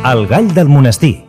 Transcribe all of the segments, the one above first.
El gall del monestir.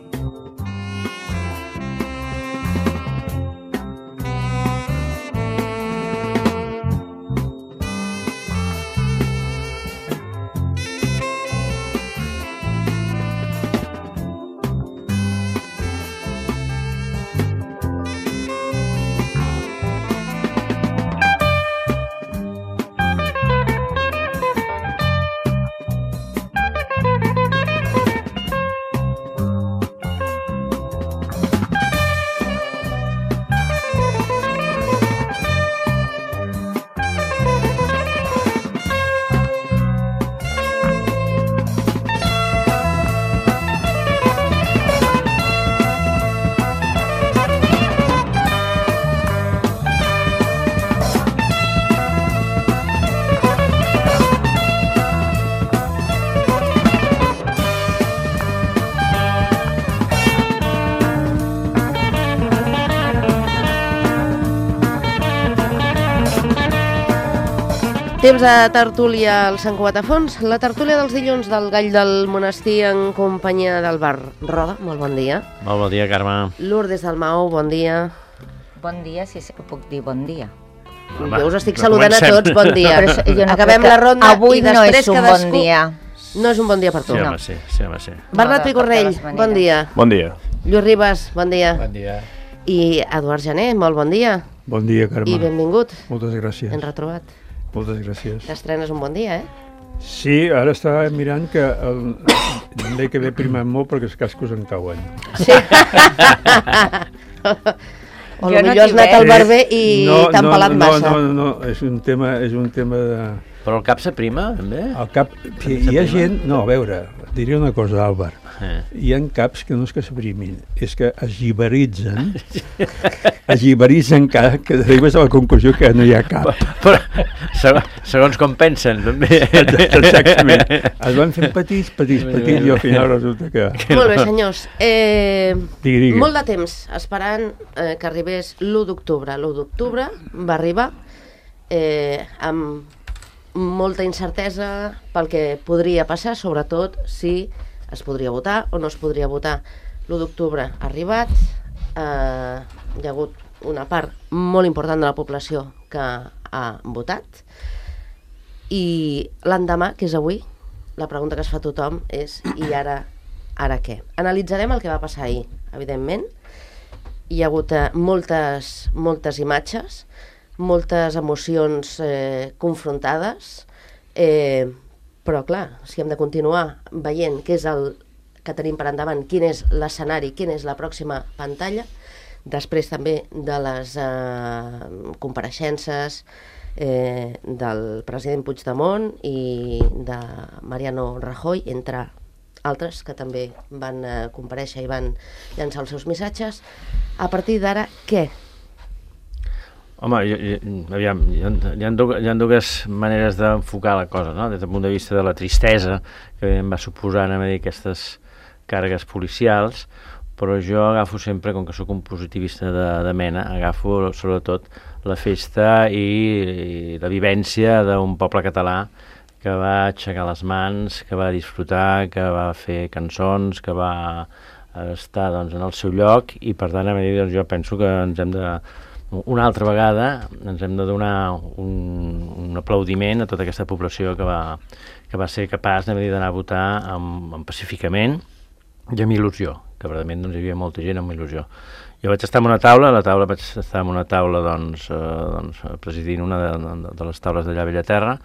Temps de tertúlia al Sant Cugat a Fons, la tertúlia dels dilluns del Gall del Monestir en companyia del Bar Roda. Molt bon dia. Molt bon dia, Carme. Lourdes Dalmau, bon dia. Bon dia, si puc dir bon dia. Jo us estic saludant a tots, bon dia. No acabem la ronda avui i després no és un cadascú... bon dia. No és un bon dia per tu. Sí, home, sí. Bernat Picornell, bon dia. Bon dia. Lluís Ribas, bon dia. Bon dia. I Eduard Jané, molt bon dia. Bon dia, Carme. I benvingut. Moltes gràcies. Ben retrobat. Moltes gràcies. T'estrenes un bon dia, Sí, ara estava mirant que l'any que ve primat molt perquè els cascos em cauen. Sí. O potser has anat al barber i t'han pelat massa. No, és un tema de... Però el cap s'aprima, també? El cap... Hi ha gent... No, a veure, diré una cosa, Àlvar. Hi ha caps que no és que s'aprimin, és que es giberitzen, que arribes a la conclusió que no hi ha cap. Però segons com pensen, també. Exactament. Es van fent petits, i al final resulta que... Molt bé, senyors. Digui. Molt de temps esperant que arribés l'1 d'octubre. L'1 d'octubre va arribar amb molta incertesa pel que podria passar, sobretot si es podria votar o no es podria votar. L'1 d'octubre ha arribat, hi ha hagut una part molt important de la població que ha votat i l'endemà, que és avui, la pregunta que es fa tothom és i ara què? Analitzarem el que va passar ahir, evidentment. Hi ha hagut moltes imatges, moltes emocions confrontades, però clar, si hem de continuar veient què és el que tenim per endavant, quin és l'escenari, quina és la pròxima pantalla, després també de les compareixences del president Puigdemont i de Mariano Rajoy, entre altres que també van comparèixer i van llançar els seus missatges. A partir d'ara, què? Home, aviam, hi ha dues maneres d'enfocar la cosa, no? Des del punt de vista de la tristesa que em va suposar aquestes càrregues policials, però jo agafo sempre, com que sóc un positivista de mena, agafo sobretot la festa i la vivència d'un poble català que va aixecar les mans, que va disfrutar, que va fer cançons, que va estar en el seu lloc i per tant jo penso que ens hem de... Una altra vegada ens hem de donar un aplaudiment a tota aquesta població que va ser capaç d'anar a votar pacíficament i amb il·lusió, que verdament hi havia molta gent amb il·lusió. Jo vaig estar en una taula, presidint una de les taules d'allà a Bellaterra,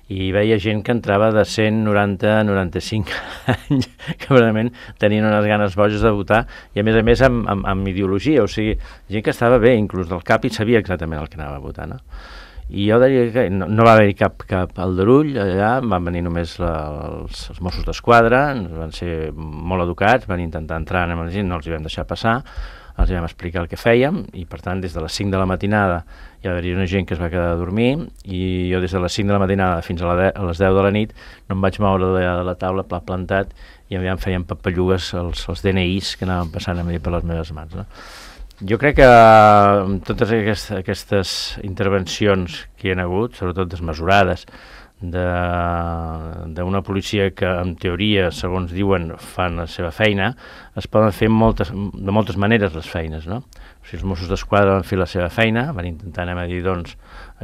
i veia gent que entrava de 190 a 95 anys, que realment tenien unes ganes boges de votar, i a més amb ideologia, o sigui, gent que estava bé, inclús del cap, i sabia exactament el que anava a votar, no? I jo diria que no va haver-hi cap aldarull allà, van venir només els Mossos d'Esquadra, van ser molt educats, van intentar entrar amb la gent, no els hi vam deixar passar, els vam explicar el que fèiem i per tant des de les 5 de la matinada hi va haver una gent que es va quedar a dormir i jo des de les 5 de la matinada fins a les 10 de la nit no em vaig moure de la taula pla plantat i em feien papallugues els DNIs que anaven passant a mi per les meves mans, no? Jo crec que amb totes aquestes intervencions que hi ha hagut, sobretot desmesurades, d'una policia que, en teoria, segons diuen, fan la seva feina, es poden fer de moltes maneres les feines, no? O sigui, els Mossos d'Esquadra van fer la seva feina, van intentar,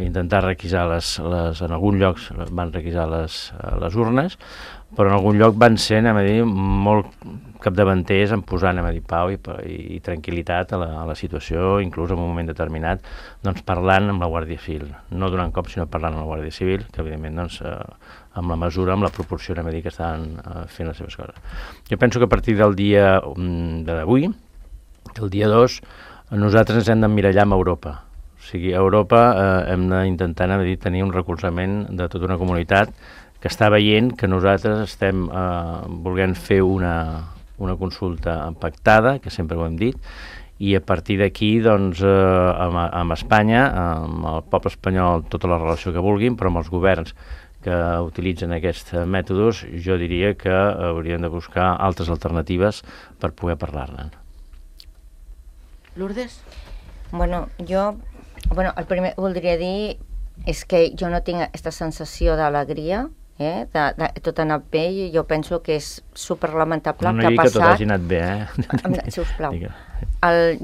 intentar requisar en alguns llocs van requisar les urnes, però en algun lloc van ser, molt capdavanters en posar, pau i tranquil·litat a la situació, inclús en un moment determinat, parlant amb la Guàrdia Civil, no donant cop, sinó parlant amb la Guàrdia Civil, que evidentment, amb la mesura, amb la proporció, que estaven fent les seves coses. Jo penso que a partir del dia d'avui, el dia 2, nosaltres ens hem d'emmirallar amb Europa. O sigui, a Europa hem d'intentar tenir un recolzament de tota una comunitat que està veient que nosaltres estem volent fer una consulta pactada, que sempre ho hem dit, i a partir d'aquí, amb Espanya, amb el poble espanyol, tota la relació que vulguin, però amb els governs que utilitzen aquests mètodes, jo diria que haurien de buscar altres alternatives per poder parlar-ne. Lourdes? El primer que voldria dir és que jo no tinc aquesta sensació d'alegria, tot ha anat bé, i jo penso que és superlamentable el que ha passat. No digui que tot hagi anat bé, sisplau.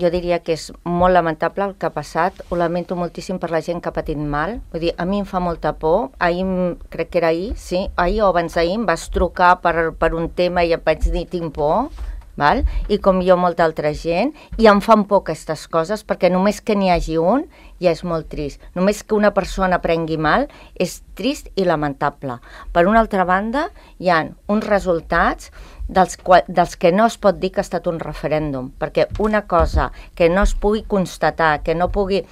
Jo diria que és molt lamentable el que ha passat, ho lamento moltíssim per la gent que ha patit mal, vull dir, a mi em fa molta por, crec que era ahir, sí, ahir o abans d'ahir em vas trucar per un tema i em vaig dir tinc por, val? I com jo molta altra gent, i em fan por aquestes coses, perquè només que n'hi hagi un ja és molt trist. Només que una persona prengui mal és trist i lamentable. Per una altra banda, hi ha uns resultats dels que no es pot dir que ha estat un referèndum, perquè una cosa que no es pugui constatar, que no pugui...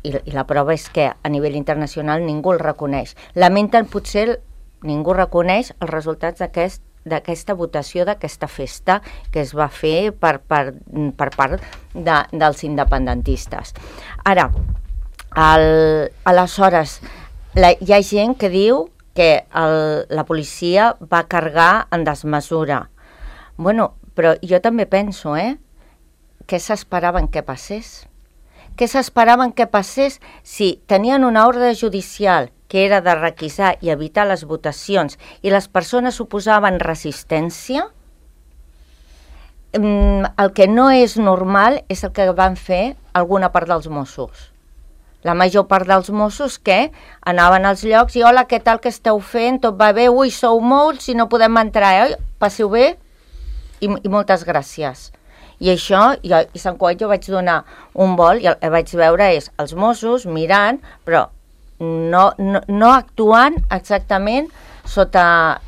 I la prova és que a nivell internacional ningú el reconeix. Lamenten, potser ningú reconeix els resultats d'aquesta votació, d'aquesta festa que es va fer per part dels independentistes. Ara, aleshores, hi ha gent que diu que la policia va carregar en desmesura. Però jo també penso, què s'esperaven que passés? Què s'esperaven que passés si tenien una ordre judicial que era de requisar i evitar les votacions i les persones oposaven resistència? El que no és normal és el que van fer alguna part dels Mossos. La major part dels Mossos que anaven als llocs i hola, què tal que esteu fent? Tot va bé? Ui, sou molts i no podem entrar, oi? Passeu bé? I moltes gràcies. I això, i Sant Cugat jo vaig donar un vol i el que vaig veure és els Mossos mirant, però no actuant exactament sota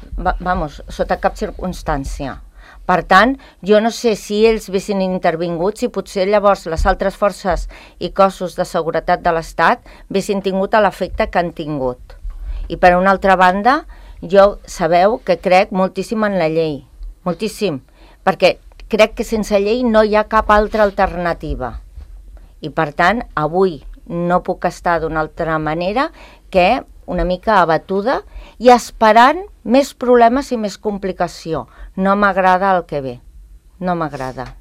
cap circumstància. Per tant, jo no sé si ells haguessin intervingut, si potser llavors les altres forces i cossos de seguretat de l'Estat haguessin tingut l'efecte que han tingut. I per una altra banda, jo sabeu que crec moltíssim en la llei, moltíssim, perquè crec que sense llei no hi ha cap altra alternativa. I per tant, avui no puc estar d'una altra manera que una mica abatuda i esperant més problemes i més complicació. No m'agrada el que ve, no m'agrada.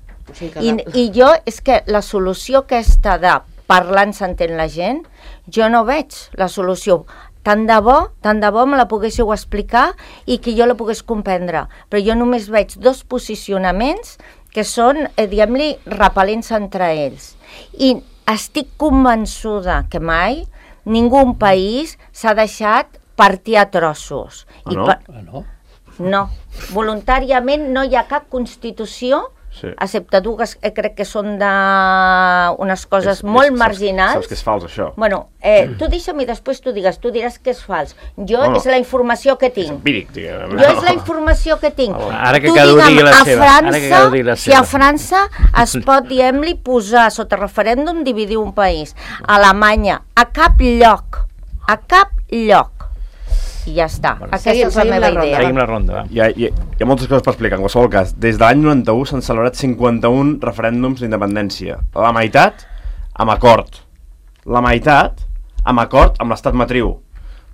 I jo, és que la solució aquesta de parlant s'entén la gent, jo no veig la solució. Tant de bo me la poguéssiu explicar i que jo la pogués comprendre. Però jo només veig dos posicionaments que són, diguem-li, repel·lents entre ells. I estic convençuda que mai ningú país s'ha deixat partir a trossos. No. Voluntàriament no hi ha cap constitució, excepte dues, crec que són d'unes coses molt marginals. Saps que és fals, això? Tu deixa'm i després tu diràs que és fals. Jo és la informació que tinc. És empíric, diguem. Jo és la informació que tinc. Ara que cada un digui la seva. Si a França es pot, diguem-li, posar sota referèndum dividir un país. A Alemanya, a cap lloc. I ja està. Aquesta és la meva idea. Seguim la ronda. Hi ha moltes coses per explicar. En qualsevol cas, des de l'any 91 s'han celebrat 51 referèndums d'independència. La meitat amb acord. La meitat amb acord amb l'estat matriu.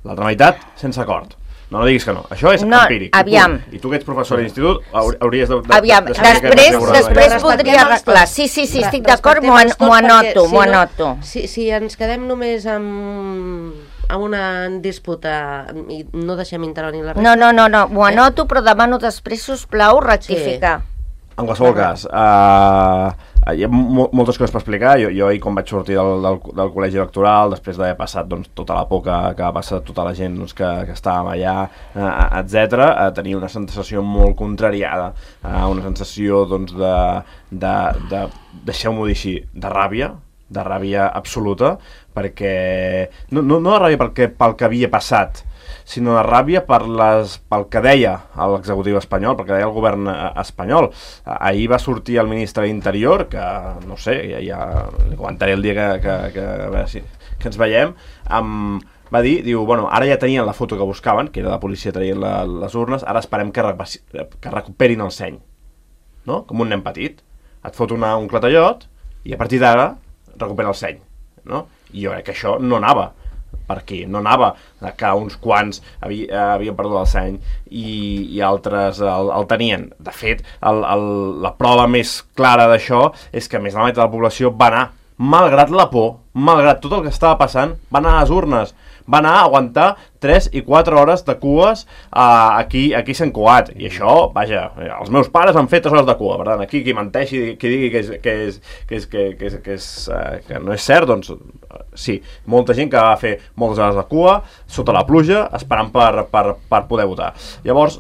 L'altra meitat sense acord. No diguis que no. Això és empíric. Aviam. I tu que ets professor d'institut hauries de... Aviam, després podria arreglar. Sí, estic d'acord, m'ho anoto. Si ens quedem només amb una disputa i no deixem intervenir la resta. No, ho anoto, però demano després, sisplau, rectificar. En qualsevol cas, hi ha moltes coses per explicar. Jo ahir, quan vaig sortir del col·legi electoral, després d'haver passat tota la por que va passar tota la gent que estàvem allà, etc., tenia una sensació molt contrariada, una sensació de deixeu-m'ho dir així, de ràbia absoluta, perquè no de ràbia pel que havia passat, sinó de ràbia pel que deia l'executiu espanyol, pel que deia el govern espanyol. Ahir va sortir el ministre d'Interior, que no sé, ja li comentaré el dia que ens veiem, va dir, bueno, ara ja tenien la foto que buscaven, que era la policia traient les urnes, ara esperem que recuperin el seny, no? Com un nen petit. Et fot un clatellot i a partir d'ara recupera el seny, no? I jo crec que això no anava per aquí, no anava que uns quants havien perdut el seny i altres el tenien. De fet, la prova més clara d'això és que més de la meitat de la població va anar, malgrat la por, malgrat tot el que estava passant, va anar a les urnes, va anar a aguantar 3 i 4 hores de cues aquí a Sant Cugat. I això, vaja, els meus pares han fet 3 hores de cua, per tant, aquí qui menteixi, qui digui que no és cert, doncs sí, molta gent que va fer moltes hores de cua sota la pluja, esperant per poder votar. Llavors,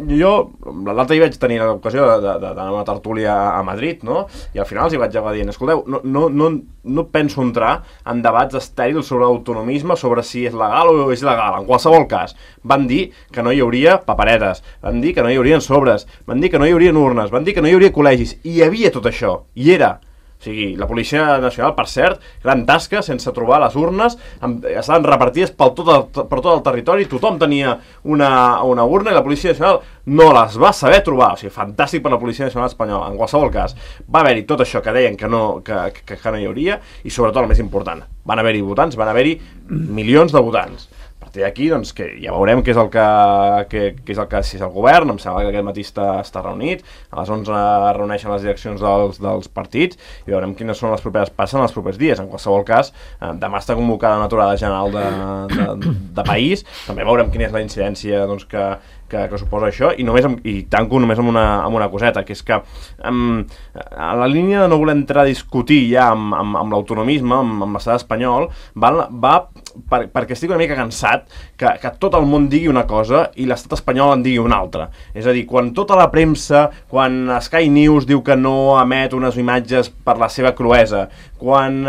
jo l'altre dia vaig tenir l'ocasió d'anar a una tertúlia a Madrid, no? I al final els hi vaig acabar dient, escolteu, no penso entrar en debats estèrils sobre l'autonomisme, sobre si és legal o és il·legal. En qualsevol cas, van dir que no hi hauria paperetes, van dir que no hi haurien sobres, van dir que no hi haurien urnes, van dir que no hi hauria col·legis, i hi havia tot això, i era. O sigui, la Policia Nacional, per cert, gran tasca, sense trobar les urnes, estaven repartides per tot el territori, tothom tenia una urna i la Policia Nacional no les va saber trobar. O sigui, fantàstic per la Policia Nacional espanyola. En qualsevol cas, va haver-hi tot això que deien que no hi hauria, i sobretot el més important, van haver-hi votants, van haver-hi milions de votants. A partir d'aquí, doncs, que ja veurem què és el que si és el govern. Em sembla que aquest matí està reunit, a les 11 es reuneixen les direccions dels partits i veurem quines són les properes passes en els propers dies. En qualsevol cas, demà està convocada una aturada general de país, també veurem quina és la incidència que suposa això, i tanco només amb una coseta, que és que a la línia de no voler entrar a discutir ja amb l'autonomisme, amb l'estat espanyol, va perquè estic una mica cansat que tot el món digui una cosa i l'estat espanyol en digui una altra. És a dir, quan tota la premsa, quan Sky News diu que no emet unes imatges per la seva cruesa, quan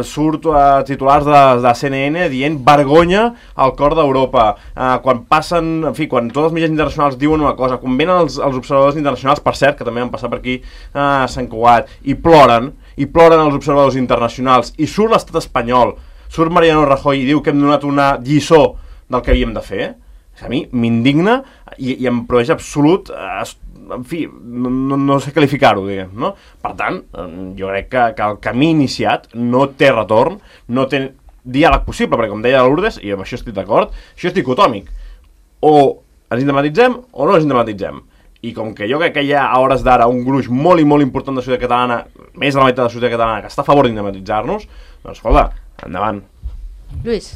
surt titulars de CNN dient vergonya al cor d'Europa, quan quan tots els mitjans internacionals diuen una cosa, quan venen els observadors internacionals, per cert, que també van passar per aquí a Sant Cugat, i ploren els observadors internacionals, i surt l'estat espanyol, surt Mariano Rajoy i diu que hem donat una lliçó del que havíem de fer, a mi m'indigna i em produeix absolut, en fi, no sé qualificar-ho, diguem, no? Per tant, jo crec que el camí iniciat no té retorn, no té diàleg possible, perquè com deia Lourdes, i amb això estic d'acord, això és dicotòmic. O ens independentitzem o no ens independentitzem. I com que jo crec que hi ha a hores d'ara un gruix molt i molt important de societat catalana, més de la meitat de la societat catalana, que està a favor d'independitzar-nos, doncs escolta, endavant. Lluís.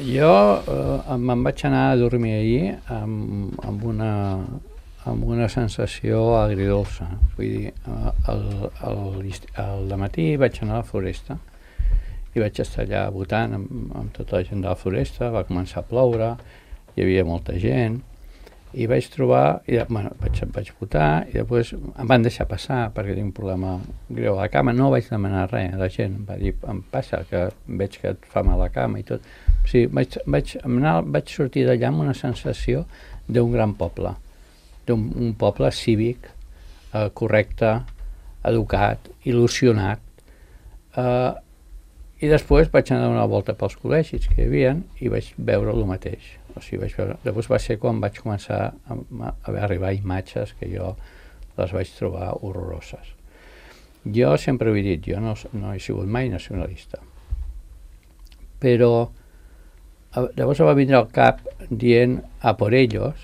Jo me'n vaig anar a dormir ahir amb una sensació agridolça. Vull dir, al dematí vaig anar a la Floresta i vaig estar allà votant amb tota la gent de la Floresta, va començar a ploure, hi havia molta gent, i vaig trobar, vaig votar, i després em van deixar passar perquè tinc un problema greu a la cama, no vaig demanar res, la gent va dir, em passa, que veig que et fa mal a la cama i tot. O sigui, vaig sortir d'allà amb una sensació d'un gran poble, d'un poble cívic, correcte, educat, il·lusionat, i després vaig anar a donar una volta pels col·legis que hi havia i vaig veure el mateix. O sigui, després va ser quan vaig començar a arribar imatges que jo les vaig trobar horroroses. Jo sempre ho he dit, jo no he sigut mai nacionalista. Però llavors va vindre al cap dient a por ellos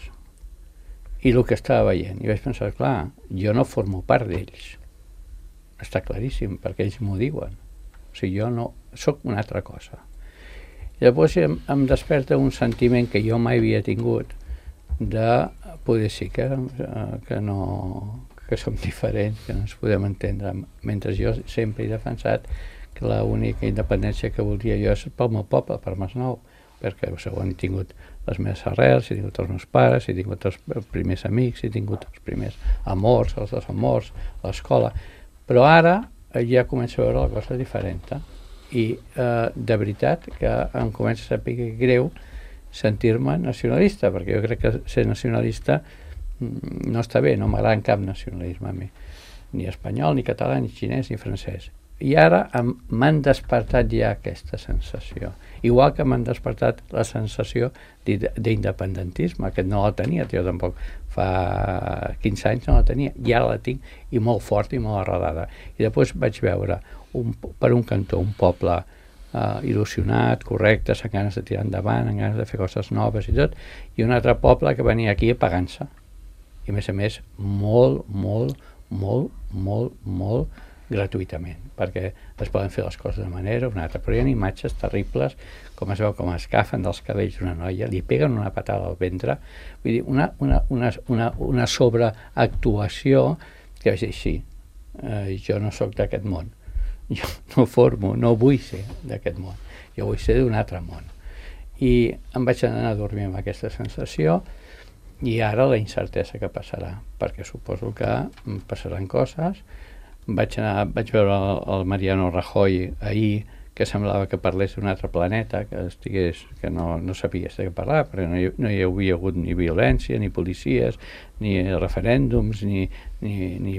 i el que estava veient. I vaig pensar, clar, jo no formo part d'ells. Està claríssim, perquè ells m'ho diuen. O sigui, jo no sóc una altra cosa. I llavors em desperta un sentiment que jo mai havia tingut de poder sí que som diferents, que no ens podem entendre, mentre jo sempre he defensat que l'única independència que voldria jo és pel meu poble, per Masnou, perquè segons he tingut les meves arrels, he tingut els meus pares, he tingut els primers amics, he tingut els primers amors, els desamors, l'escola, però ara ja començo a veure la cosa diferent, i de veritat que em comença a saber greu sentir-me nacionalista, perquè jo crec que ser nacionalista no està bé, no m'agrada cap nacionalisme a mi, ni espanyol, ni català, ni xinès, ni francès. I ara m'han despertat ja aquesta sensació, igual que m'han despertat la sensació d'independentisme, que no la tenia jo tampoc, fa 15 anys no la tenia, i ara la tinc, i molt forta i molt arrelada. I després vaig veure per un cantó un poble il·lusionat, correcte, amb ganes de tirar endavant, amb ganes de fer coses noves i tot, i un altre poble que venia aquí apagant-se, i a més molt gratuïtament, perquè es poden fer les coses de manera o una altra, però hi ha imatges terribles, com es veu com es agafen dels cabells d'una noia, li peguen una patada al ventre, vull dir, una sobreactuació que vaig dir, sí, jo no sóc d'aquest món, jo no vull ser d'aquest món, jo vull ser d'un altre món. I em vaig anar a dormir amb aquesta sensació, i ara la incertesa que passarà, perquè suposo que passaran coses. Vaig veure el Mariano Rajoy ahir, que semblava que parlés d'un altre planeta, que no sabia de què parlar, perquè no hi havia hagut ni violència, ni policies, ni referèndums, ni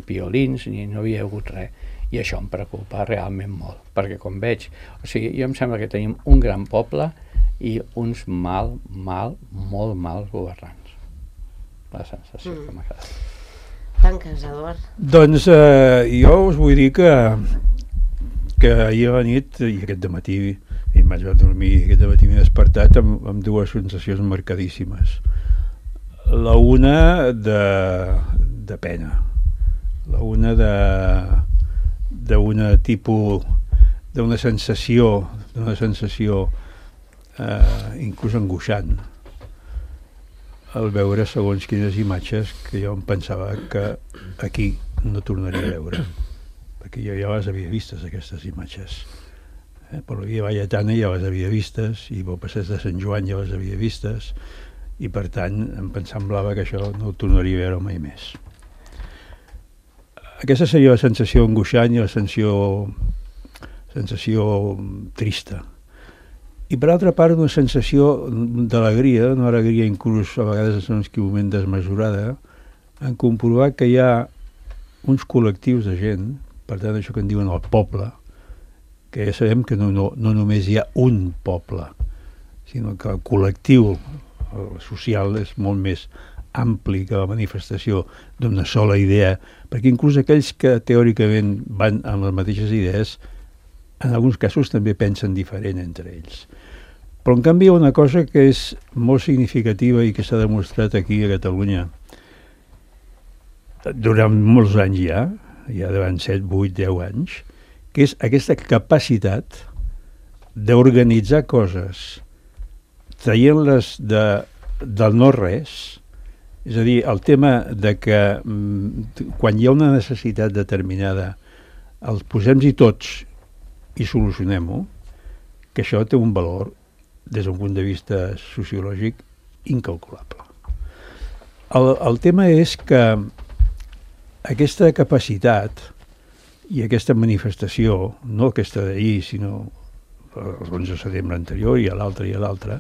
violins, no havia hagut res. I això em preocupa realment molt, perquè com veig, jo em sembla que tenim un gran poble i uns molt mals governants. La sensació que m'ha quedat. Tanques, Eduard. Doncs jo us vull dir que ahir a la nit i aquest dematí em vaig dormir, aquest dematí m'he despertat amb dues sensacions marcadíssimes. La una de pena, la una d'una sensació inclús angoixant, al veure segons quines imatges que jo em pensava que aquí no tornaria a veure, perquè jo ja les havia vistes, aquestes imatges. Per la via Valletana ja les havia vistes, i pel passeig de Sant Joan ja les havia vistes, i per tant em semblava que això no ho tornaria a veure mai més. Aquesta seria la sensació angoixant i la sensació trista. I per altra part una sensació d'alegria, una alegria inclús a vegades en un moment desmesurada, en comprovar que hi ha uns col·lectius de gent, per tant això que en diuen el poble, que ja sabem que no només hi ha un poble, sinó que el col·lectiu social és molt més ampli que la manifestació d'una sola idea, perquè inclús aquells que teòricament van amb les mateixes idees, en alguns casos també pensen diferent entre ells. Però en canvi hi ha una cosa que és molt significativa i que s'ha demostrat aquí a Catalunya durant molts anys ja durant 7, 8, 10 anys, que és aquesta capacitat d'organitzar coses traient-les del no-res, és a dir, el tema de que quan hi ha una necessitat determinada els posem-hi tots i solucionem-ho, que això té un valor des d'un punt de vista sociològic incalculable. El tema és que aquesta capacitat i aquesta manifestació, no aquesta d'ahir, sinó el 11 de setembre anterior i a l'altre,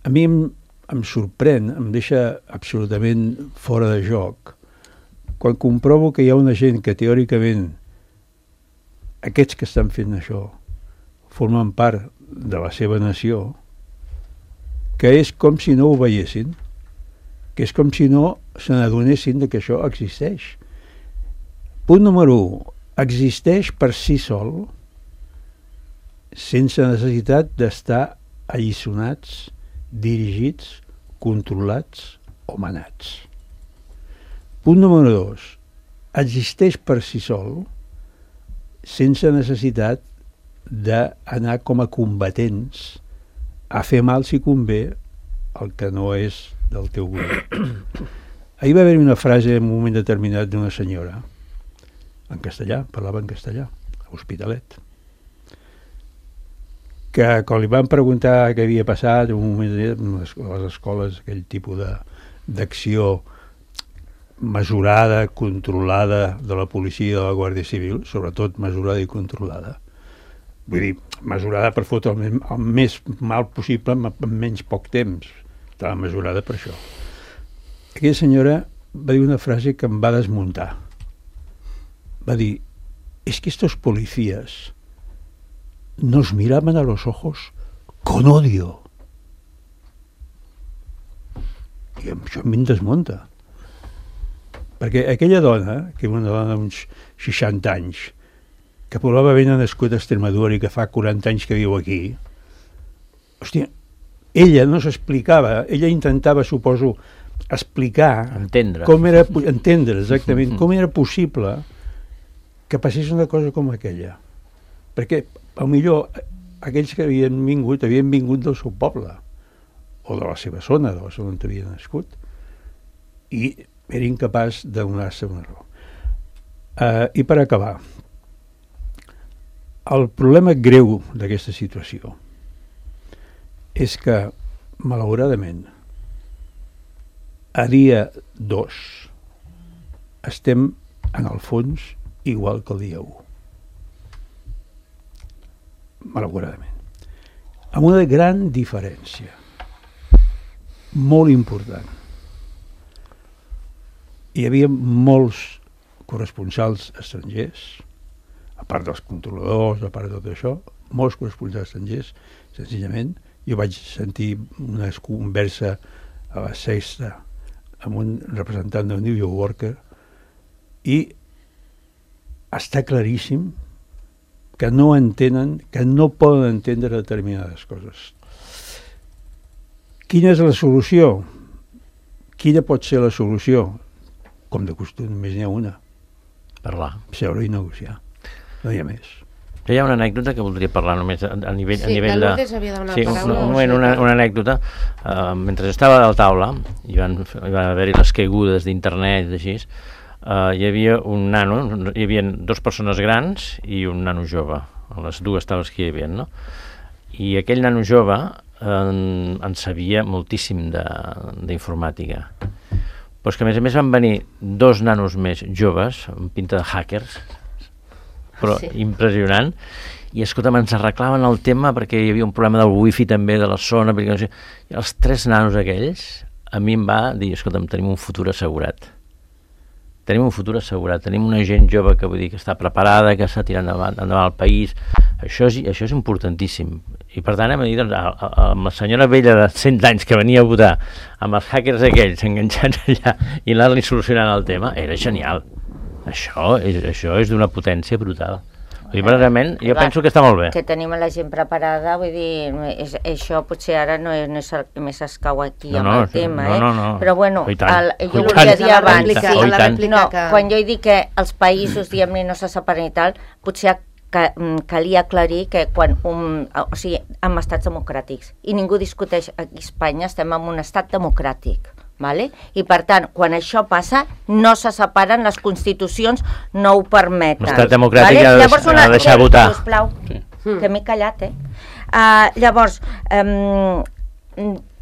a mi em sorprèn, em deixa absolutament fora de joc, quan comprovo que hi ha una gent que teòricament aquests que estan fent això formen part de la seva nació, que és com si no ho veiessin, que és com si no se n'adonessin que això existeix. Punt número 1, existeix per si sol, sense necessitat d'estar alliçonats, dirigits, controlats o manats. Punt número 2, existeix per si sol, sense necessitat d'anar com a combatents a fer mal si convé el que no és del teu govern. Ahir va haver-hi una frase en un moment determinat d'una senyora, en castellà, parlava en castellà, a Hospitalet, que quan li van preguntar què havia passat en un moment a les escoles, aquell tipus d'acció mesurada, controlada de la policia i de la Guàrdia Civil, sobretot mesurada i controlada. Vull dir, mesurada per fotre el més mal possible en menys poc temps. Estava mesurada per això. Aquella senyora va dir una frase que em va desmuntar. Va dir, es que estos policías nos miraban a los ojos con odio. I això em desmunta. Perquè aquella dona, que és una dona d'uns 60 anys, que probablement ha nascut a Extremadura i que fa 40 anys que viu aquí, hòstia, ella no s'explicava, ella intentava, suposo, explicar... Entendre. Entendre, exactament, com era possible que passés una cosa com aquella. Perquè, potser, aquells que havien vingut del seu poble, o de la seva zona, de la zona on havien nascut, i era incapaç de donar-se una raó. I per acabar, el problema greu d'aquesta situació és que, malauradament, a dia 2 estem, en el fons, igual que el dia 1. Malauradament. Amb una gran diferència, molt important. Hi havia molts corresponsals estrangers, a part dels controladors, a part de tot això, molts corresponsals estrangers, senzillament. Jo vaig sentir una conversa a la Sexta amb un representant del New Yorker i està claríssim que no entenen, que no poden entendre determinades coses. Quina és la solució? Quina pot ser la solució? Com de costum, només n'hi ha una. Parlar. Seure i negociar. No hi ha més. Hi ha una anècdota que voldria parlar només a nivell, sí, a nivell de... Lourdes havia de donar sí, paraula. una anècdota. Mentre estava a la taula, hi van haver-hi les caigudes d'internet, així, hi havia un nano, hi havia 2 persones grans i un nano jove, a les 2 taules que hi havia, no? I aquell nano jove en sabia moltíssim d'informàtica. Però és que a més van venir 2 nanos més joves, amb pinta de hackers, però sí, impressionant, i escolta'm, ens arreglaven el tema perquè hi havia un problema del wifi també de la zona, perquè no sé, i els 3 nanos aquells a mi em va dir, escolta'm, tenim un futur assegurat. Tenim un futur assegurat, tenim una gent jove que vull dir que està preparada, que està tirant endavant el país. Això és importantíssim. I per tant hem de dir, doncs, amb la senyora vella de 100 anys que venia a votar, amb els hackers aquells enganxats allà i anar-li solucionant el tema, era genial. Això és d'una potència brutal. Vull dir, verdaderament, jo penso que està molt bé. Que tenim la gent preparada, vull dir, això potser ara no és el que més escau aquí amb el tema, però bueno, jo volia dir abans, quan jo he dit que els països, diguem-ne, no se separen i tal, potser calia aclarir que quan en estats democràtics, i ningú discuteix, aquí a Espanya estem en un estat democràtic, vale? I per tant, quan això passa, no se separen, les constitucions no ho permeten. L'estat democràtic ha de deixar votar. Sisplau, que m'he callat, llavors,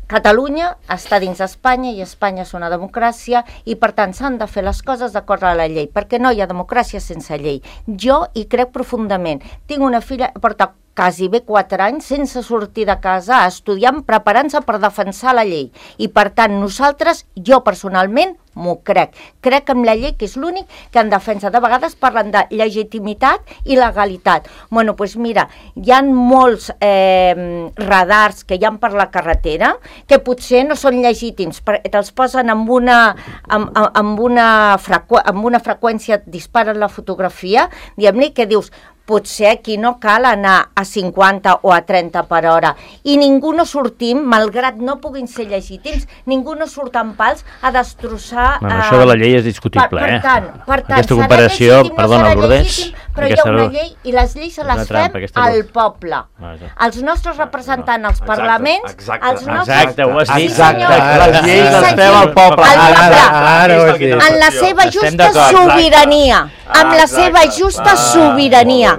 Catalunya està dins d'Espanya i Espanya és una democràcia i per tant s'han de fer les coses d'acord a la llei, perquè no hi ha democràcia sense llei. Jo hi crec profundament. Tinc una filla, porta quasi bé 4 anys sense sortir de casa, estudiant, preparant-se per defensar la llei. I per tant nosaltres, jo personalment, m'ho crec. Crec en la llei, que és l'únic que en defensa. De vegades parlen de legitimitat i legalitat. Bueno, doncs mira, hi ha molts radars que hi ha per la carretera que potser no són legítims, te'ls posen amb una freqüència, disparen la fotografia, diguem-ne, que dius, potser aquí no cal anar a 50 o a 30 per hora. I ningú no sortim, malgrat no puguin ser legítims, ningú no surt amb pals a destrossar... Això de la llei és discutible, per tant, aquesta comparació, perdona, Lourdes... Però hi ha una llei i les lleis se les fem al poble. Els nostres representants als parlaments, els nostres... Exacte, ho has dit. Les lleis les fem al poble. En la seva justa sobirania. Amb la seva justa sobirania.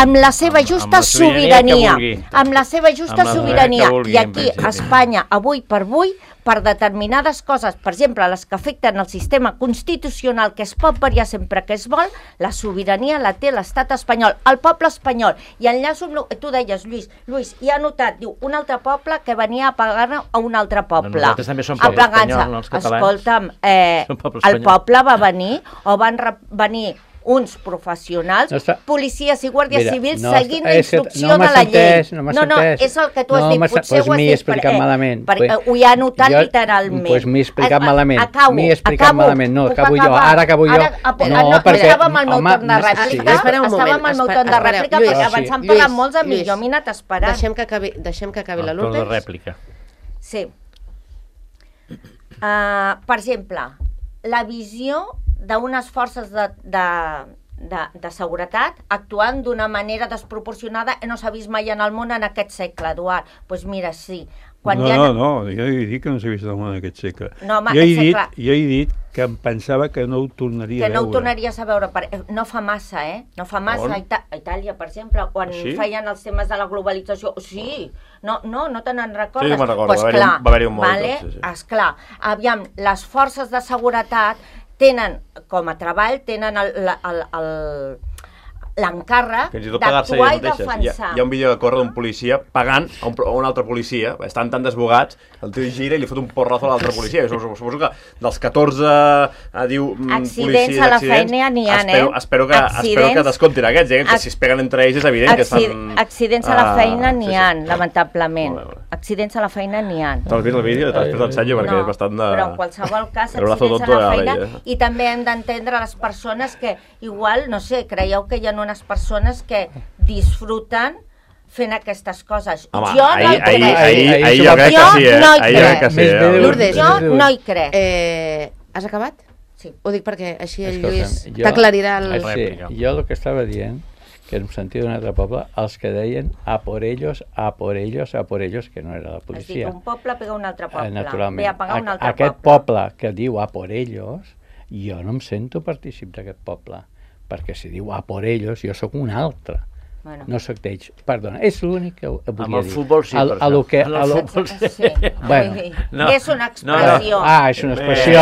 Amb la seva justa sobirania. Amb la seva justa sobirania. I aquí, a Espanya, avui per avui, per determinades coses, per exemple, les que afecten el sistema constitucional, que es pot variar sempre que es vol, la sobirania la té l'estat espanyol, el poble espanyol. I enllaço amb... Tu deies, Lluís, i ha notat, diu, un altre poble que venia a pagar a un altre poble. Nosaltres també som poble espanyol, no els catalans. Escolta'm, el poble va venir, o van venir uns professionals, policies i guàrdies civils seguint la instrucció de la llei. No, és el que tu has dit, potser ho has dit. M'he explicat malament. Ho he anotat literalment. Doncs m'he explicat malament. M'he explicat malament. No, acabo jo. Ara acabo jo. No, perquè... Estava amb el meu torn de rèplica. Estava amb el meu torn de rèplica, perquè abans han parlat molts a mi. Jo m'he anat esperant. Deixem que acabi la Lourdes. El torn de rèplica. Sí. Per exemple, la visió d'unes forces de seguretat actuant d'una manera desproporcionada no s'ha vist mai en el món en aquest segle, Eduard. Doncs mira, sí. No, jo he dit que no s'ha vist el món en aquest segle. Jo he dit que em pensava que no ho tornaria a veure. Que no ho tornaries a veure. No fa massa, No fa massa. A Itàlia, per exemple, quan feien els temes de la globalització. Sí, no te n'en recordes? Sí, me'n recordo, va haver-hi un molt. Esclar, aviam, les forces de seguretat tenen, com a treball, tenen l'encàrrec d'actuar i defensar. Hi ha un vídeo que corre d'un policia pagant a un altre policia, estan tan desbogats, el tio gira i li fot un porrazo a l'altre policia. Suposo que dels 14 accidents a la feina n'hi ha, espero que descomptin aquests, que si es peguen entre ells és evident que estan... Accidents a la feina n'hi ha, lamentablement. Accidents a la feina n'hi ha. T'has vist el vídeo? Després t'ensenyo perquè és bastant de... Però en qualsevol cas, accidents a la feina, i també hem d'entendre les persones que igual, no sé, creieu que hi ha unes persones que disfruten fent aquestes coses. Home, jo no hi crec. Ahir jo crec que sí. Lourdes, jo no hi crec. Has acabat? Sí. Ho dic perquè així el Lluís t'aclarirà el... Sí, jo el que estava dient, que em sentia d'un altre poble, els que deien a por ellos, que no era la policia. Has dit un poble pega un altre poble. Naturalment. Ve a pagar un altre poble. Aquest poble que diu a por ellos, jo no em sento partícip d'aquest poble. Perquè si diu a por ellos, jo sóc un altre. Bueno. No sóc d'ells. Perdona, és l'únic que volia dir. Amb el futbol sí, per això. Sí. Bueno. És una expressió. És una expressió.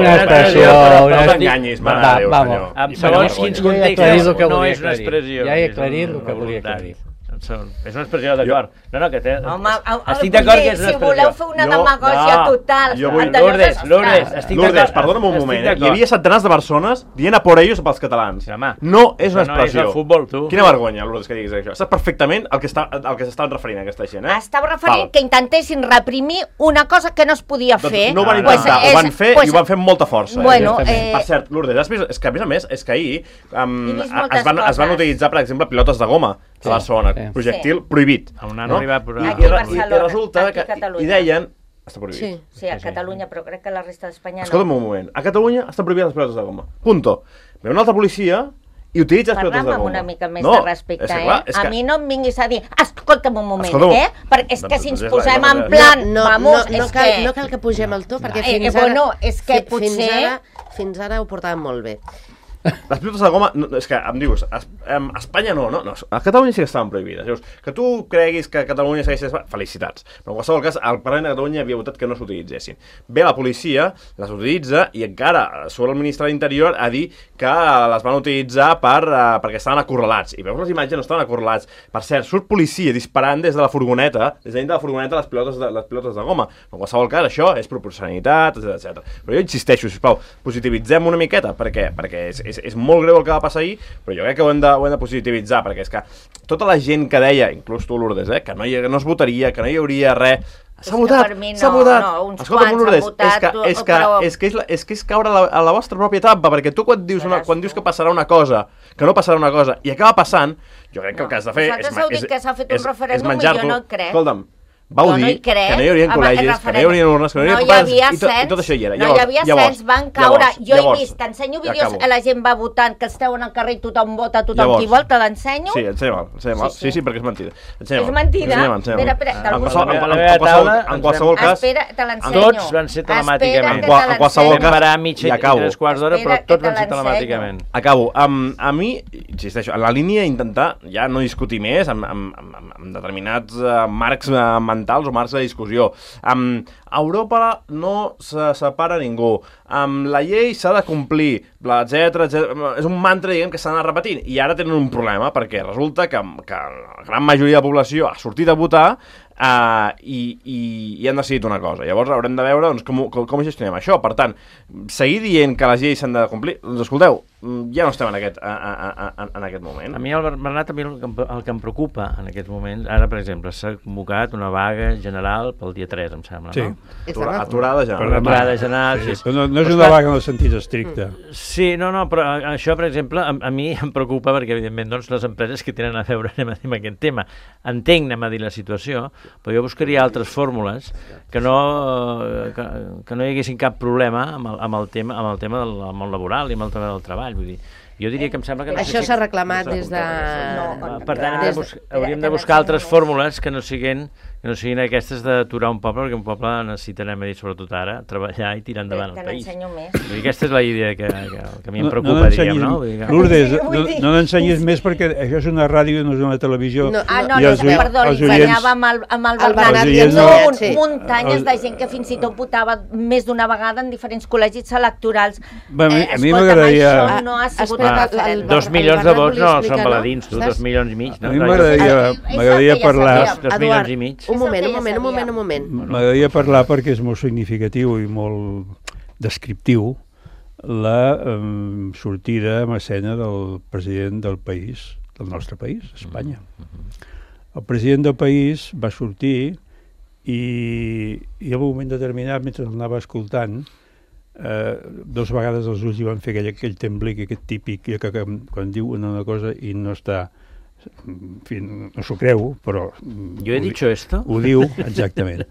Una expressió. No t'enganyis, mare de Déu, senyor. En segons quins contextos no és una expressió. Ja he aclarit el que volia aclarir. És una expressió d'acord. No, que té... Home, estic d'acord que és una expressió. Si voleu fer una demagògia total... Lourdes, estic d'acord. Lourdes, perdona'm un moment. Hi havia centenars de persones dient a por ellos pels catalans. No és una expressió. No és el futbol, tu. Quina vergonya, Lourdes, que diguis això. Saps perfectament el que s'estaven referint a aquesta gent, Estava referint que intentessin reprimir una cosa que no es podia fer. No ho van intentar, ho van fer i ho van fer amb molta força. Per cert, Lourdes, és que a més és que ahir es van utilitzar, per exemple, pilotes de goma a Barcelona, projectil prohibit. I resulta que hi deien... Està prohibit. Sí, a Catalunya, però crec que a la resta d'Espanya no. Escolta'm un moment, a Catalunya estan prohibides les pilotes de goma. Punto. Ve una altra policia i utilitza les pilotes de goma. Parla'm amb una mica més de respecte, A mi no em vinguis a dir, escolta'm un moment, Perquè és que si ens posem en plan, vamos, és que... No cal que pugem el to, perquè fins ara ho portàvem molt bé. Les pilotes de goma, és que em dius, a Espanya no, a Catalunya sí que estaven prohibides. Llavors, que tu creguis que a Catalunya segueix... Felicitats. Però en qualsevol cas, al Parlament de Catalunya havia votat que no s'utilitzessin. Ve la policia, les utilitza i encara surt el ministre de l'Interior a dir que les van utilitzar perquè estaven acorralats. I veus les imatges, no estaven acorralats. Per cert, surt policia disparant des de la furgoneta, des de dintre de la furgoneta les pilotes de goma. En qualsevol cas, això és proporcionalitat, etc. Però jo insisteixo, sisplau, positivitzem una miqueta, perquè és molt greu el que va passar ahir, però jo crec que ho hem de positivitzar, perquè és que tota la gent que deia, inclús tu, Lourdes, que no es votaria, que no hi hauria res, s'ha votat. Escolta'm, Lourdes, és que és caure a la vostra pròpia trampa, perquè tu quan dius que passarà una cosa, que no passarà una cosa, i acaba passant, jo crec que el que has de fer és menjar-t'ho. Escolta'm, vau Jo no dir hi crec. que no hi haurien Home, col·legis, que no hi referèndum. haurien urnes, que no hi No haurien hi havia i tot això hi era. No hi havia cens, van caure. Jo he vist, t'ensenyo vídeos, la gent va votant, que esteu en el carrer, tothom vota, tothom qui vol, te l'ensenyo. Sí, ensenya-me'l. Sí, perquè és mentida. És mentida? En qualsevol cas... Espera, te l'ensenyo. Tots van ser telemàticament. En qualsevol cas... Parar mitja i 3 quarts d'hora, però tots van ser telemàticament. Acabo. A mi, insisteixo, en la línia d'intentar ja no discutir més amb determinats marcs mentals o marcs de discussió. A Europa no se separa ningú. La llei s'ha de complir, etcètera. És un mantra, diguem, que s'ha d'anar repetint. I ara tenen un problema, perquè resulta que la gran majoria de la població ha sortit a votar i han decidit una cosa. Llavors haurem de veure doncs, com gestionem això. Per tant, seguir dient que les lleis s'han de complir, doncs escolteu, ja no estem en aquest moment. A mi, Bernat, el que em preocupa en aquests moments, ara per exemple s'ha convocat una vaga general pel dia 3, em sembla, no? Aturada general. Aturada general, sí. No és una vaga en el sentit estricte. Sí, no, però això, per exemple, a mi em preocupa perquè, evidentment, doncs, les empreses que tenen a veure amb aquest tema. Entenc, anem a dir la situació, però jo buscaria altres fórmules que no hi haguessin cap problema amb el tema del món laboral i amb el tema del treball. Vull dir, jo diria que em sembla que... Això s'ha reclamat des de... Per tant, hauríem de buscar altres fórmules que no siguin aquestes d'aturar un poble, perquè un poble necessita, anem a dir, sobretot ara, treballar i tirar endavant el país. Vull dir, aquesta és la idea que a mi em preocupa, diguem, no? Lourdes, no n'ensenyis més perquè això és una ràdio i no és una televisió. Perdó, ensenyava amb el Bernat. Muntanyes de gent que fins i tot votava més d'una vegada en diferents col·legis electorals. A mi m'agradaria... Això no ha sigut referèndum. 2 milions de vots no són baladins, tu, 2 milions i mig. A mi m'agradaria parlar... 2 milions i mig. Un moment. M'agradaria parlar perquè és molt significatiu i molt descriptiu la sortida en escena del president del país, del nostre país, Espanya. El president del país va sortir i en un moment determinat, mentre l'anava escoltant, 2 vegades els ulls hi van fer aquell temblic, aquest típic que quan diu una cosa i no està... En fi, no s'ho creu, però... Jo he dit esto? Ho diu, exactament.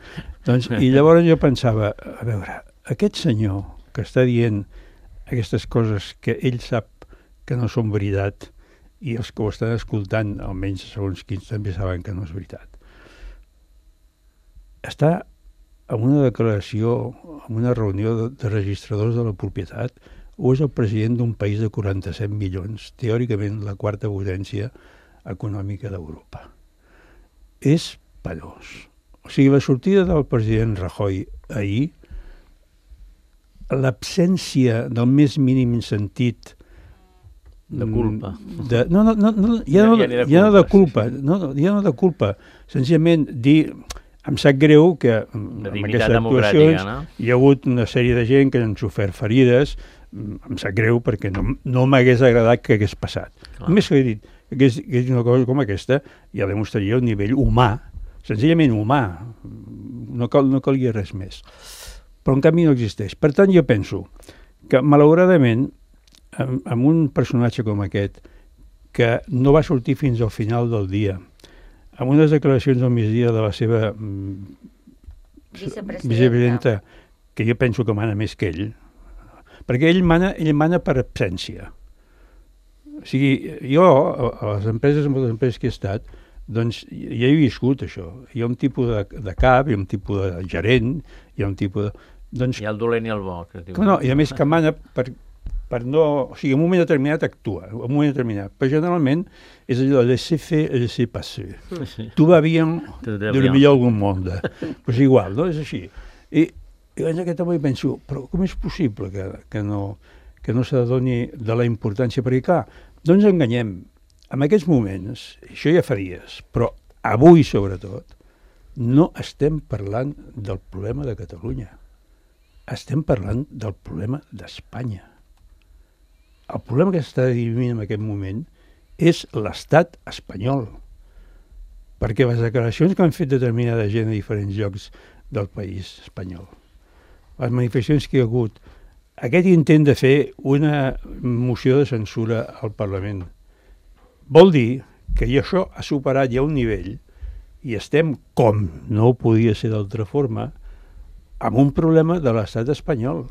Doncs, i llavors jo pensava, a veure, aquest senyor que està dient aquestes coses que ell sap que no són veritat i els que ho estan escoltant, almenys segons quins també saben que no és veritat, està en una declaració, en una reunió de registradors de la propietat, o és el president d'un país de 47 milions, teòricament la quarta potència econòmica d'Europa. És penós. O sigui, la sortida del president Rajoy ahir, l'absència del més mínim sentit de culpa. Ja no de culpa. Senzillament dir, em sap greu que en aquestes actuacions hi ha hagut una sèrie de gent que han sofert ferides, em sap greu perquè no m'hagués agradat que hagués passat. Només que he dit que és una cosa com aquesta ja demostraria un nivell humà, senzillament humà, no calia res més. Però en canvi no existeix. Per tant, jo penso que malauradament amb un personatge com aquest que no va sortir fins al final del dia, amb unes declaracions al migdia de la seva vicepresidenta, que jo penso que mana més que ell, perquè ell mana per absència. O sigui, jo, a les empreses que he estat, doncs ja he viscut això. Hi ha un tipus de cap, hi ha un tipus de gerent, hi ha un tipus de... Doncs, hi ha el dolent i el bo. No, i a més que mana per no... O sigui, en un moment determinat actua, en un moment determinat. Però generalment és allò de laisser faire et laisser passer. Tout va bien, de lo millor algun monde. Pues igual, no? És així. I en aquest moment penso, però com és possible que no s'adoni de la importància? Perquè, clar, no ens enganyem. En aquests moments, això ja fa dies, però avui sobretot, no estem parlant del problema de Catalunya. Estem parlant del problema d'Espanya. El problema que s'està vivint en aquest moment és l'estat espanyol. Perquè les declaracions que han fet determinada gent a diferents llocs del país espanyol, les manifestacions que hi ha hagut, aquest intent de fer una moció de censura al Parlament, vol dir que això ha superat ja un nivell i estem, com no podia ser d'altra forma, amb un problema de l'estat espanyol.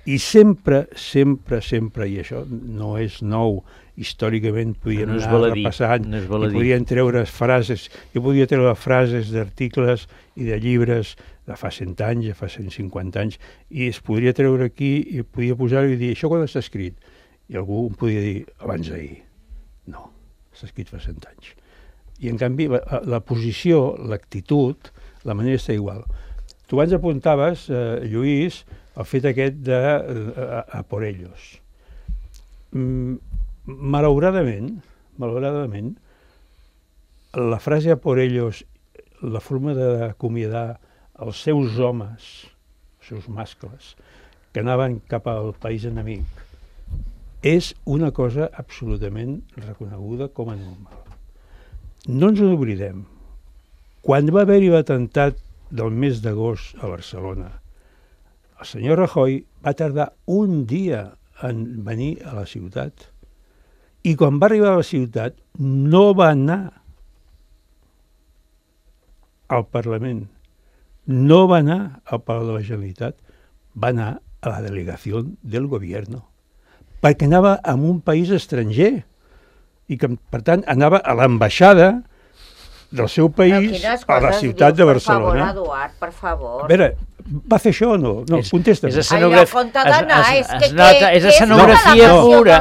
I sempre, i això no és nou, històricament podien anar repassant, i podien treure frases, jo podia treure frases d'articles i de llibres de fa 100 anys, de fa 150 anys, i es podria treure aquí i podia posar-ho i dir, això quan està escrit? I algú em podia dir, abans d'ahir. No, està escrit fa 100 anys. I en canvi la posició, l'actitud, la manera està igual. Tu abans apuntaves, Lluís, el fet aquest de a por ellos. Malauradament, la frase a por ellos, la forma d'acomiadar els seus homes, els seus mascles, que anaven cap al país enemic, és una cosa absolutament reconeguda com a normal. No ens n'oblidem. Quan va haver-hi l'atemptat del mes d'agost a Barcelona, el senyor Rajoy va tardar un dia en venir a la ciutat i quan va arribar a la ciutat no va anar al Parlament, no va anar al Palau de la Generalitat, va anar a la delegació del govern, perquè anava a un país estranger i que, per tant, anava a l'ambaixada del seu país a la ciutat de Barcelona. Per favor, Eduard, per favor. A veure, va fer això o no? No, contesta'm. És escenografia pura.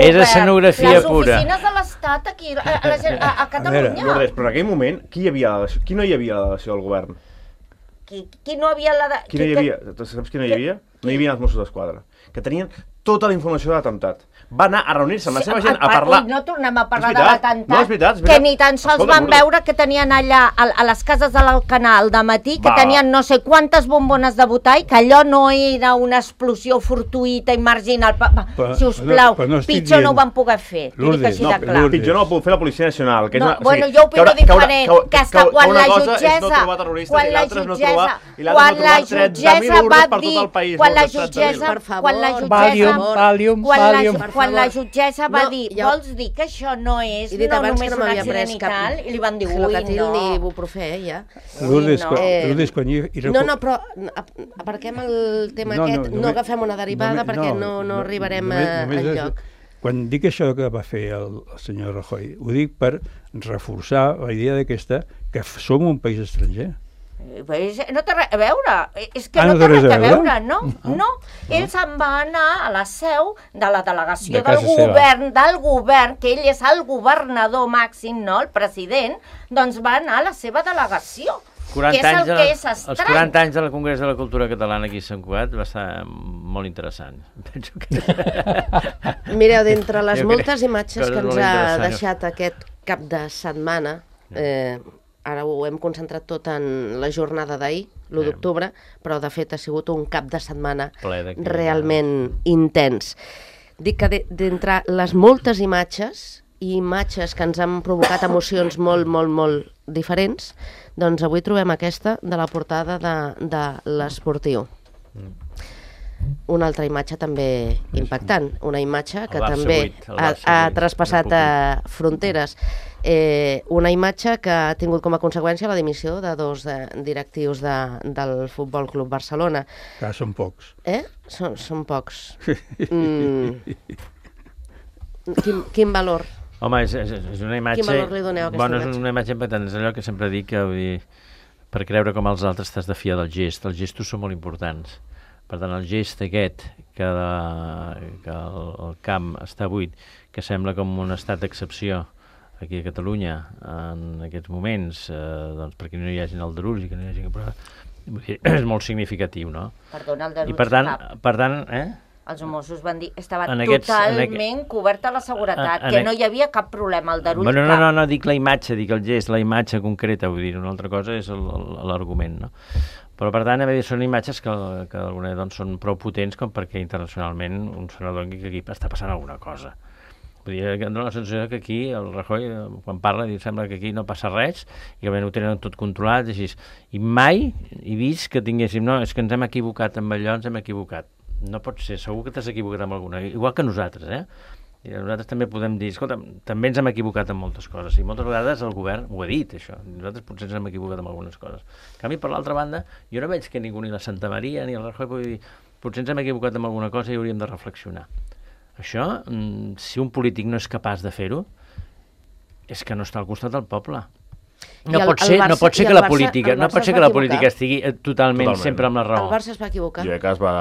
És escenografia pura. Les oficines de l'Estat aquí, a Catalunya. Lourdes, però en aquell moment, qui no hi havia a la delegació del govern? Qui no havia la... Qui no hi havia? Saps qui no hi havia? No hi havia els Mossos d'Esquadra, que tenien tota la informació de l'atemptat. Va anar a reunir-se amb la seva gent a parlar... No tornem a parlar de l'atemptat, no, és veritat. Que ni tan sols van veure que tenien allà a les cases de l'Alcanar al dematí, que tenien no sé quantes bombones de butall, que allò no era una explosió fortuïta i marginal. Sisplau, pitjor no ho van poder fer. Lourdes, pitjor no ho puc fer la Policia Nacional. Bueno, jo opino diferent, que és que quan la jutgessa... Quan la jutgessa va dir... Quan la jutgessa va dir, vols dir que això no és no només un accident i tal, i li van dir, ui, no. Ni ibuprofè, ja. Lourdes, quan hi... No, però aparquem el tema aquest, no agafem una derivada perquè no arribarem enlloc. Quan dic això que va fer el senyor Rajoy, ho dic per reforçar la idea d'aquesta que som un país estranger. No té res a veure, és que no té res a veure, no. Ell se'n va anar a la seu de la delegació del govern, que ell és el governador màxim, no, el president, doncs va anar a la seva delegació. Que és el que és estrany. Els 40 anys del Congrés de la Cultura Catalana aquí a Sant Cugat va estar molt interessant. Penso que... Mireu, d'entre les moltes imatges que ens ha deixat aquest cap de setmana, ara ho hem concentrat tot en la jornada d'ahir, l'1 d'octubre, però de fet ha sigut un cap de setmana realment intens. Dic que d'entre les moltes imatges que ens han provocat emocions molt diferents, doncs avui trobem aquesta de la portada de l'Esportiu. Una altra imatge també impactant, una imatge que també ha traspassat fronteres. Una imatge que ha tingut com a conseqüència la dimissió de 2 directius del Futbol Club Barcelona. Que són pocs. Són pocs. Quin valor? Home, és una imatge... Quin valor li doneu a aquesta imatge? És una imatge impactant, és allò que sempre dic, que vull dir, per creure com els altres t'has de fiar del gest. Els gestos són molt importants. Per tant, el gest aquest, que el camp està buit, que sembla com un estat d'excepció aquí a Catalunya en aquests moments, doncs perquè no hi hagi aldarulls i que no hi hagi... És molt significatiu, no? Perdona, aldarulls per tant, els Mossos van dir que estava totalment coberta la seguretat, que no hi havia cap problema, aldarull cap. No, dic la imatge, dic el gest, la imatge concreta, vull dir, una altra cosa és l'argument, no? Però, per tant, són imatges que d'alguna manera són prou potents com perquè internacionalment un senador que aquí està passant alguna cosa. Vull dir, dona la sensació que aquí el Rajoy, quan parla, sembla que aquí no passa res i que ho tenen tot controlat, així. I mai he vist que tinguéssim, no, és que ens hem equivocat amb allò, ens hem equivocat. No pot ser, segur que t'has equivocat amb alguna, igual que nosaltres, I nosaltres també podem dir, escolta, també ens hem equivocat en moltes coses, i moltes vegades el govern ho ha dit, això. Nosaltres potser ens hem equivocat en algunes coses. En canvi, per l'altra banda, jo no veig que ningú, ni la Santa Maria, ni el Rajoy, pugui dir, potser ens hem equivocat en alguna cosa i hauríem de reflexionar. Això, si un polític no és capaç de fer-ho, és que no està al costat del poble. No pot ser que la política estigui totalment sempre amb la raó. El Barça es va equivocar. Jo crec que es va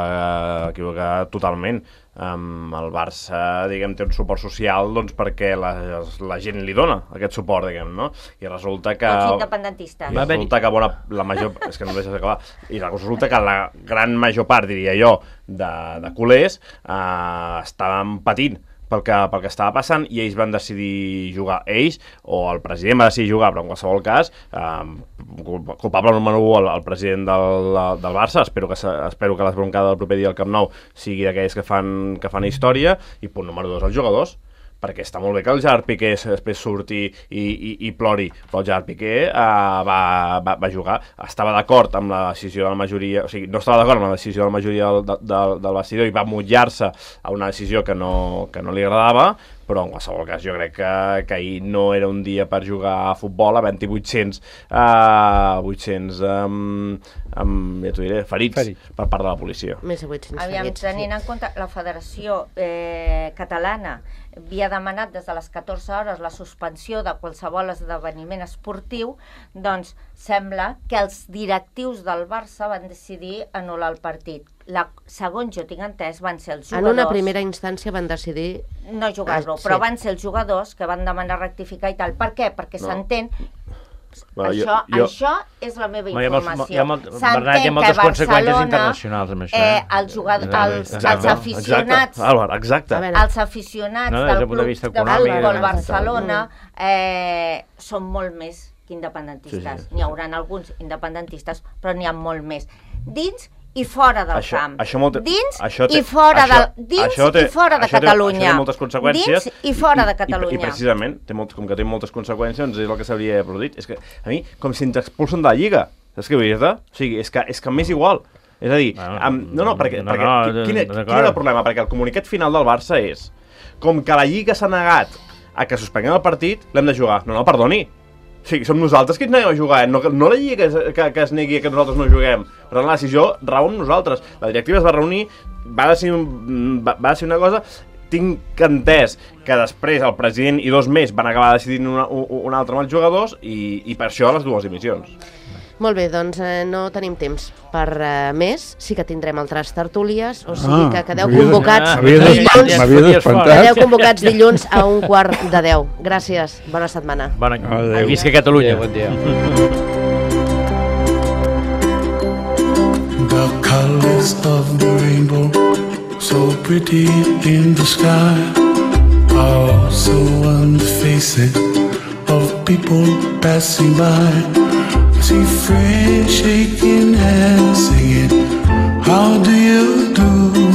equivocar totalment. El Barça, diguem, té un suport social doncs perquè la gent li dona aquest suport, diguem, no? I resulta que... Els independentistes. I resulta que la major... És que no deixes d'acabar. I resulta que la gran major part, diria jo, de culers estaven patint pel que estava passant, i ells van decidir jugar. Ells, o el president va decidir jugar, però en qualsevol cas, culpable número 1 el president del Barça. Espero que l'esbroncada del proper dia al Camp Nou sigui d'aquells que fan història, i punt número 2, els jugadors, perquè està molt bé que el Gerard Piqué després surti i plori, però el Gerard Piqué va jugar, estava d'acord amb la decisió de la majoria, o sigui, no estava d'acord amb la decisió de la majoria del vestidor i va mullar-se a una decisió que no li agradava, però en qualsevol cas jo crec que ahir no era un dia per jugar a futbol havent-hi 800 ja t'ho diré, ferits per part de la policia. Més de 800 Aviam, ferits. tenint en compte la Federació Catalana havia demanat des de les 14 hores la suspensió de qualsevol esdeveniment esportiu, doncs sembla que els directius del Barça van decidir anul·lar el partit. Segons jo tinc entès, van ser els jugadors... En una primera instància van decidir... No jugar-lo, però van ser els jugadors que van demanar rectificar i tal. Per què? Perquè s'entén... Això és la meva informació. Hi ha moltes conseqüències internacionals amb això. Els aficionats els aficionats del Club de Futbol Barcelona són molt més que independentistes. N'hi haurà alguns independentistes, però n'hi ha molt més. Dins i fora del camp. Dins i fora de Catalunya. Això té moltes conseqüències. Dins i fora de Catalunya. I precisament, com que té moltes conseqüències, és el que s'hauria produït. És que a mi, com si ens expulsen de la Lliga. Saps què vull dir-te? O sigui, és que m'és igual. És a dir, perquè quin era el problema? Perquè el comunicat final del Barça és com que la Lliga s'ha negat a que suspenguem el partit, l'hem de jugar. No, perdoni. O sigui, som nosaltres que ens neguem a jugar, no la Lliga que es negui que nosaltres no juguem. Per tant, la decisió rau amb nosaltres. La directiva es va reunir, va decidir una cosa. Tinc entès que després el president i 2 més van acabar decidint una altra amb els jugadors i per això les 2 dimissions. Molt bé, doncs no tenim temps per més. Sí que tindrem altres tertúlies, o sigui que quedeu convocats dilluns a 9:45. Gràcies, bona setmana. Visca Catalunya. Bon dia. The colors of the rainbow, so pretty in the sky, also on the faces of people passing by. See friends shaking hands, singing, how do you do?